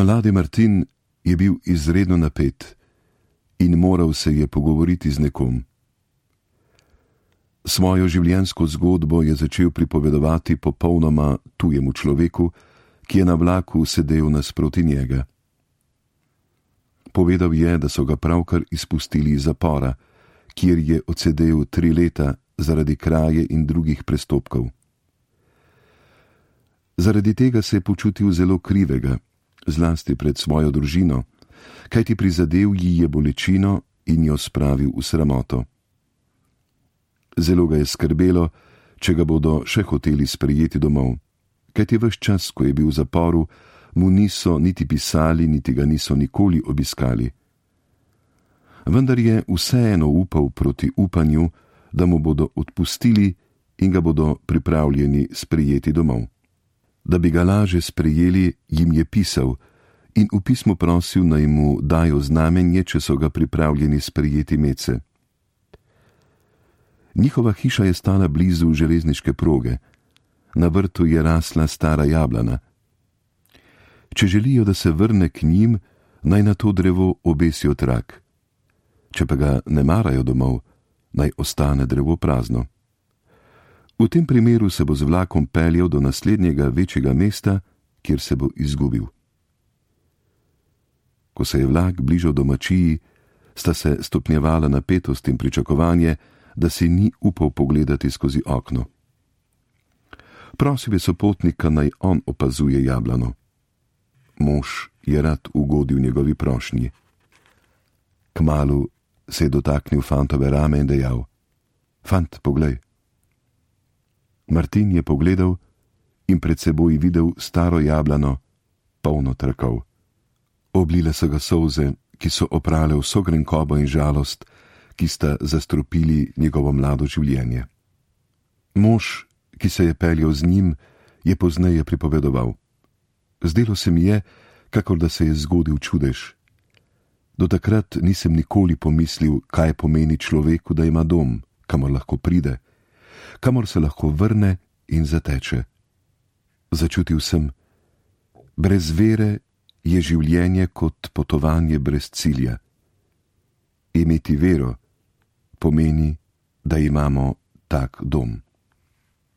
Mladi Martin je bil izredno napet in moral se je pogovoriti z nekom. Svojo življenjsko zgodbo je začel pripovedovati popolnoma tujemu človeku, ki je na vlaku sedel nasproti njega. Povedal je, da so ga pravkar izpustili iz zapora, kjer je odsedel 3 leta zaradi kraje in drugih prestopkov. Zaradi tega se je počutil zelo krivega, zlasti pred svojo družino, kajti prizadel ji je bolečino in jo spravil v sramoto. Zelo ga je skrbelo, če ga bodo še hoteli sprejeti domov, kajti ves čas, ko je bil v zaporu, mu niso niti pisali, niti ga niso nikoli obiskali. Vendar je vseeno upal proti upanju, da mu bodo odpustili in ga bodo pripravljeni sprejeti domov. Da bi ga laže sprejeli, jim je pisal in v pismu prosil, naj mu dajo znamenje, če so ga pripravljeni sprejeti medse. Njihova hiša je stala blizu železniške proge. Na vrtu je rasla stara jablana. Če želijo, da se vrne k njim, naj na to drevo obesijo trak. Če pa ga ne marajo domov, naj ostane drevo prazno. V tem primeru se bo z vlakom peljal do naslednjega večjega mesta, kjer se bo izgubil. Ko se je vlak bližal domačiji, sta se stopnjevala napetost in pričakovanje, da si ni upal pogledati skozi okno. Prosil je sopotnika, naj on opazuje jablano. Mož je rad ugodil njegovi prošnji. Kmalu se je dotaknil fantove rame in dejal: Fant, poglej. Martin je pogledal in pred seboj videl staro jablano, polno trkov. Oblile so ga solze, ki so oprale vso grenkobo in žalost, ki sta zastrupili njegovo mlado življenje. Mož, ki se je peljal z njim, je pozneje pripovedoval: Zdelo se mi je, kakor da se je zgodil čudež. Do takrat nisem nikoli pomislil, kaj pomeni človeku, da ima dom, kamor lahko pride, kamor se lahko vrne in zateče. Začutil sem, brez vere je življenje kot potovanje brez cilja. Imeti vero pomeni, da imamo tak dom.